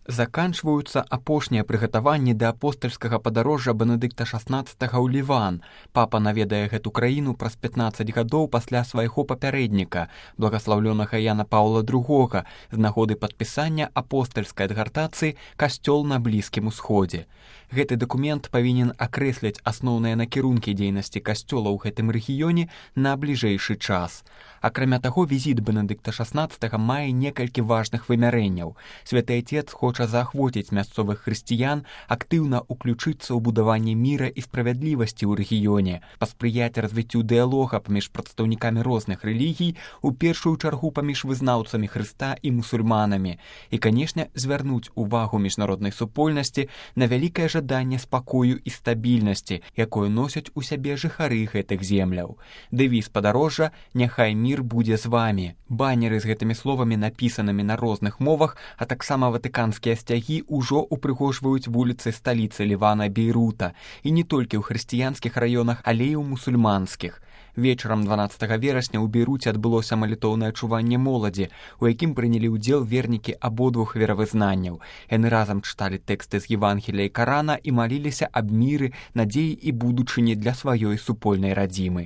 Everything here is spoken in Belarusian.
Заканчваюцца апошнія прыгатаванні да апостальскага падарожжа Бенедыкта XVI ў Ліван. Папа наведае гэту краіну праз 15 гадоў пасля свайго папярэдніка, благаслаўлёнага Яна Паўла II, з нагоды падпісання апостальскай адгартацыі «Касцёл на Блізкім Усходзе». Гэты дакумент павінен акрэсліць асноўныя накірункі дзейнасці касцёла ў гэтым рэгіёне на бліжэйшы час. Акрамя таго, візіт Бенедыкта XVI мае некалькі важных вымярэнняў. Святы Отец хоча заахвоціць мясцовых хрысціян актыўна ўключыцца ў будаванне міра і справядлівасці ў рэгіёне, паспрыяць развіццю дыялога паміж прадстаўнікамі розных рэлігій, у першую чаргу паміж вызнаўцамі Хрыста і мусульманамі, і, канешне, звярнуць увагу міжнароднай супольнасці на вялікае жаданне спакою і стабільнасці, якое носяць у сябе жыхары гэтых земляў. Дэвіз падарожжа «Няхай мір будзе з вамі». Баннеры з гэтымі словамі, напісанымі на розных мовах, а таксама ватыканскія сцягі ўжо упрыгожваюць вуліцы сталіцы Лівана Бейрута, і не толькі ў хрысціянскіх раёнах, але і ў мусульманскіх. Вечарам 12 верасня ў Бейруце адбылося малітоўнае чуванне моладзі, у якім прынялі ўдзел вернікі абодвух веравызнанняў. Яны разам чыталі тэксты з Евангелія і Карана і маліліся аб міры, надзеі і будучыні для сваёй супольнай радзімы.